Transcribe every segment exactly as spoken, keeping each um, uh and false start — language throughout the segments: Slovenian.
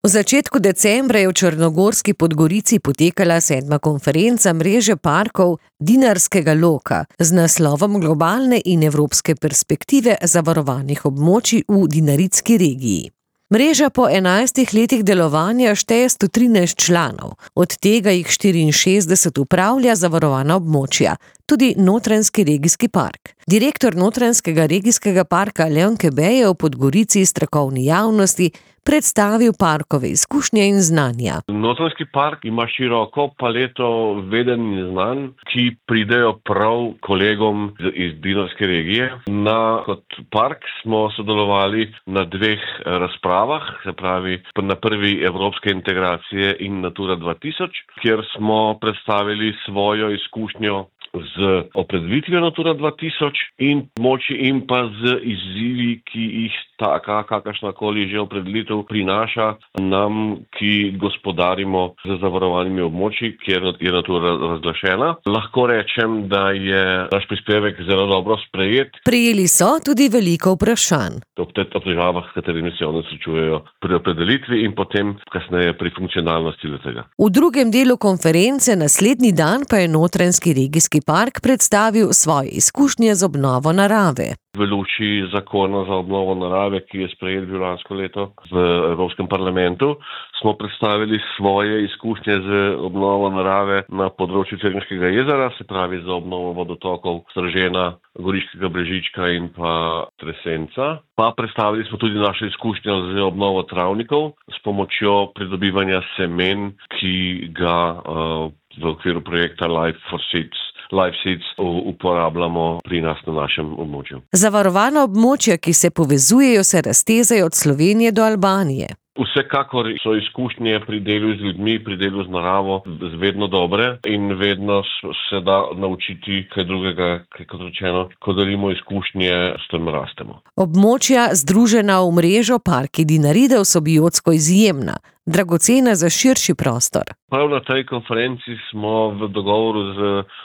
V začetku decembra je v Črnogorski Podgorici potekala sedma konferenca mreže parkov Dinarskega loka z naslovom Globalne in evropske perspektive zavarovanih območij v Dinaritski regiji. Mreža po enajstih letih delovanja šteje sto trinajst članov, od tega jih štiriinšestdeset upravlja zavarovana območja, tudi Notranjski regijski park. Direktor Notranjskega regijskega parka Leon Kebe je v Podgorici strokovni javnosti predstavil parkove izkušnje in znanja. Notranjski park ima široko paleto vedenj in znanj, ki pridejo prav kolegom iz Dinarske regije. Na kot park smo sodelovali na dveh razpravah, se pravi na prvi evropske integracije in Natura dva tisoč, kjer smo predstavili svojo izkušnjo z opredelitvijo Natura dva tisoč in moči in pa z izzivi, ki jih taka, kakršnakoli že opredelitev prinaša nam, ki gospodarimo z zavarovanimi območji, kjer je Natura razglašena. Lahko rečem, da je naš prispevek zelo dobro sprejet. Prejeli so tudi veliko vprašanj. Ob teh težavah, s katerimi se oni srečujejo pri opredelitvi in potem kasneje pri funkcionalnosti tega. V drugem delu konference naslednji dan pa je Notranjski regijski park predstavil svoje izkušnje z obnovo narave. V luči zakona za obnovo narave, ki je sprejet bil lansko leto v Evropskem parlamentu, smo predstavili svoje izkušnje z obnovo narave na področju Cerkniškega jezera, se pravi za obnovo vodotokov Stržena, Goriškega Brežička in pa Tresenca. Pa predstavili smo tudi naše izkušnje z obnovo travnikov s pomočjo pridobivanja semen, ki ga uh, v okviru projekta Life for Seeds Life Seeds uporabljamo pri nas na našem območju. Zavarovana območja, ki se povezujejo, se raztezajo od Slovenije do Albanije. Vsekakor so izkušnje pri delu z ljudmi, pri delu z naravo vedno dobre in vedno se da naučiti kaj drugega, kot rečeno, ko delimo izkušnje, s tem rastemo. Območja, združena v mrežo Parki Dinaride, so biotsko izjemna, dragocena za širši prostor. Prav na tej konferenci smo v dogovoru z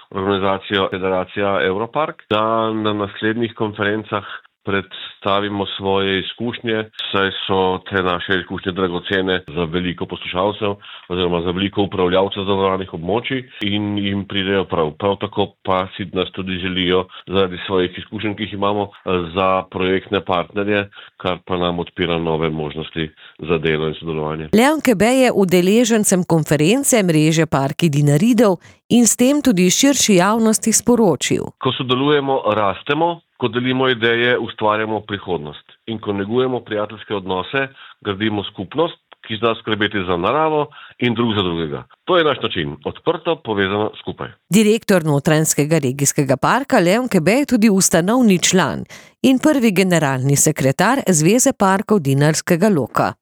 organizacijo Federacija Europark, da na naslednjih konferencah predstavimo svoje izkušnje, saj so te naše izkušnje dragocene za veliko poslušalcev oziroma za veliko upravljavcev zavarovanih območij in jim pridejo prav. Prav tako pa si nas tudi želijo zaradi svojih izkušenj, ki jih imamo, za projektne partnerje, kar pa nam odpira nove možnosti za delo in sodelovanje. Leon Kebe je udeležencem konference mreže Parki Dinaridov in s tem tudi širši javnosti sporočil. Ko sodelujemo, rastemo. Ko delimo ideje, ustvarjamo prihodnost. In ko negujemo prijateljske odnose, gradimo skupnost, ki zna skrbeti za naravo in drug za drugega. To je naš način. Odprto, povezano, skupaj. Direktor Notranjskega regijskega parka Leon Kebe je tudi ustanovni član in prvi generalni sekretar Zveze parkov Dinarskega loka.